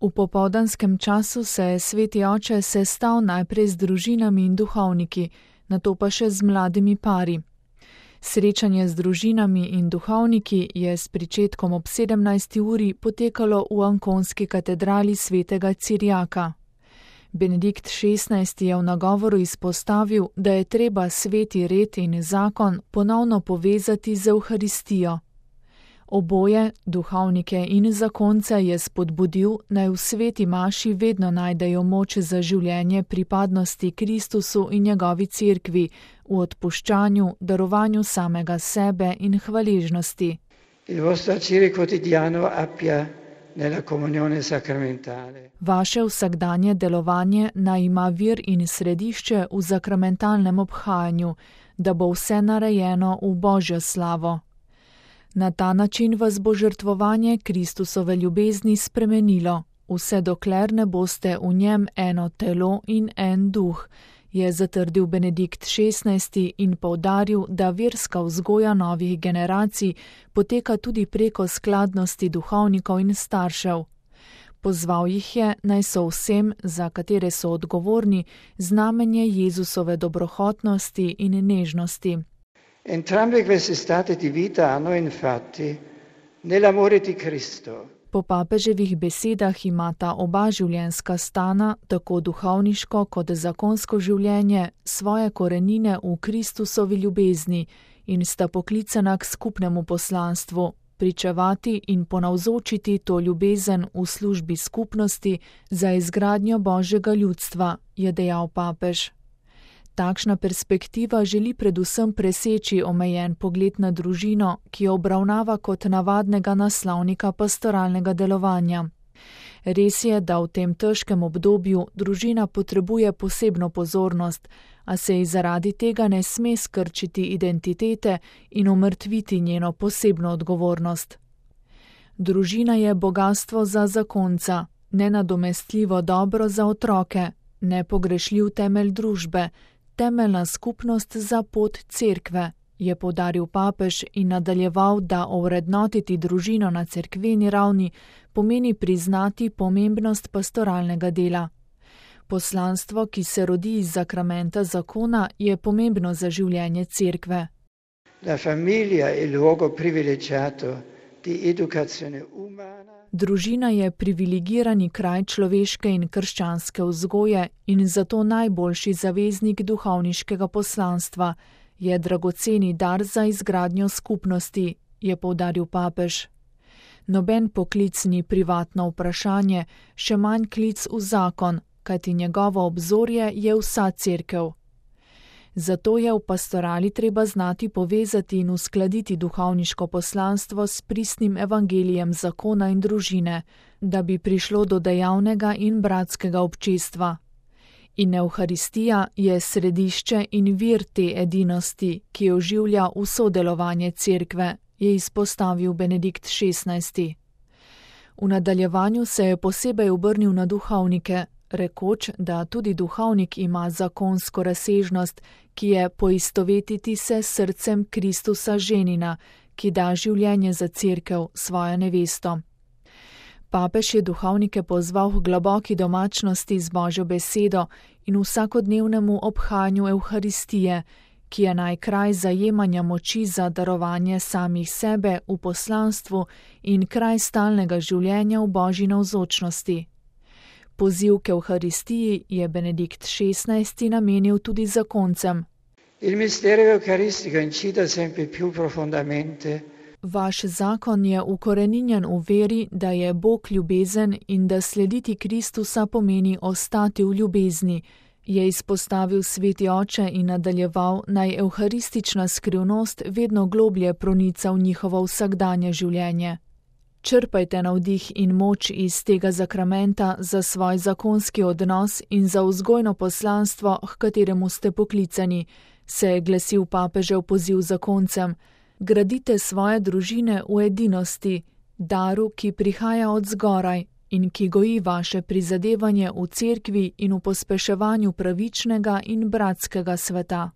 V popoldanskem času se je sveti oče sestal najprej z družinami in duhovniki, nato pa še z mladimi pari. Srečanje z družinami in duhovniki je s pričetkom ob 17. uri potekalo v Ankonski katedrali svetega Cirjaka. Benedikt XVI je v nagovoru izpostavil, da je treba sveti red in zakon ponovno povezati z Evharistijo. Oboje, duhovnike in zakonce, je spodbudil, naj v sveti maši vedno najdejo moč za življenje pripadnosti Kristusu in njegovi cerkvi, v odpuščanju, darovanju samega sebe in hvaležnosti. Vaše vsakdanje delovanje naj ima vir in središče v sakramentalnem obhajanju, da bo vse narejeno v Božjo slavo. Na ta način vas bo žrtvovanje Kristusove ljubezni spremenilo, vse dokler ne boste v njem eno telo in en duh, je zatrdil Benedikt XVI in poudaril, da verska vzgoja novih generacij poteka tudi preko skladnosti duhovnikov in staršev. Pozval jih je, naj so vsem, za katere so odgovorni, znamenje Jezusove dobrohotnosti in nežnosti. Entrambe queste state di vita hanno infatti nell'amore di Cristo. Po papeževih besedah imata oba življenjska stana, tako duhovniško kot zakonsko življenje, svoje korenine v Kristusovi ljubezni in sta poklicana k skupnemu poslanstvu, pričevati in ponavzočiti to ljubezen v službi skupnosti za izgradnjo Božjega ljudstva, je dejal papež. Takšna perspektiva želi predvsem preseči omejen pogled na družino, ki jo obravnava kot navadnega naslovnika pastoralnega delovanja. Res je, da v tem težkem obdobju družina potrebuje posebno pozornost, a se ji zaradi tega ne sme skrčiti identitete in omrtviti njeno posebno odgovornost. Družina je bogastvo za zakonca, nenadomestljivo dobro za otroke, nepogrešljiv temelj družbe, temeljna skupnost za pot cerkve, je poudaril papež in nadaljeval, da ovrednotiti družino na cerkveni ravni pomeni priznati pomembnost pastoralnega dela. Poslanstvo, ki se rodi iz sakramenta zakona, je pomembno za življenje cerkve. La famiglia è il luogo privilegiato di educazione umana. Družina je privilegirani kraj človeške in krščanske vzgoje in zato najboljši zaveznik duhovniškega poslanstva, je dragoceni dar za izgradnjo skupnosti, je poudaril papež. Noben poklic ni privatno vprašanje, še manj klic v zakon, kajti njegovo obzorje je vsa cerkev. Zato je v pastorali treba znati povezati in uskladiti duhovniško poslanstvo s pristnim evangelijem zakona in družine, da bi prišlo do dejavnega in bratskega občestva. In Evharistija je središče in vir te edinosti, ki oživlja vso delovanje cerkve, je izpostavil Benedikt XVI. V nadaljevanju se je posebej obrnil na duhovnike, rekoč, da tudi duhovnik ima zakonsko razsežnost, ki je poistovetiti se s srcem Kristusa ženina, ki da življenje za cerkev, svojo nevesto. Papež je duhovnike pozval k globoki domačnosti z Božjo besedo in vsakodnevnemu obhajanju Evharistije, ki je najkraj zajemanja moči za darovanje samih sebe v poslanstvu in kraj stalnega življenja v Božji navzočnosti. Poziv k Evharistiji je Benedikt XVI namenil tudi zakoncem. Il mistero eucaristico incide sempre più profondamente. Vaš zakon je ukoreninjen v veri, da je Bog ljubezen in da slediti Kristusa pomeni ostati v ljubezni, je izpostavil sveti oče in nadaljeval, naj evharistična skrivnost vedno globlje pronica v njihovo vsakdanje življenje. Črpajte navdih in moč iz tega zakramenta za svoj zakonski odnos in za vzgojno poslanstvo, k kateremu ste poklicani, se je glasil papežev poziv zakoncem. Gradite svoje družine v edinosti, daru, ki prihaja od zgoraj in ki goji vaše prizadevanje v cerkvi in v pospeševanju pravičnega in bratskega sveta.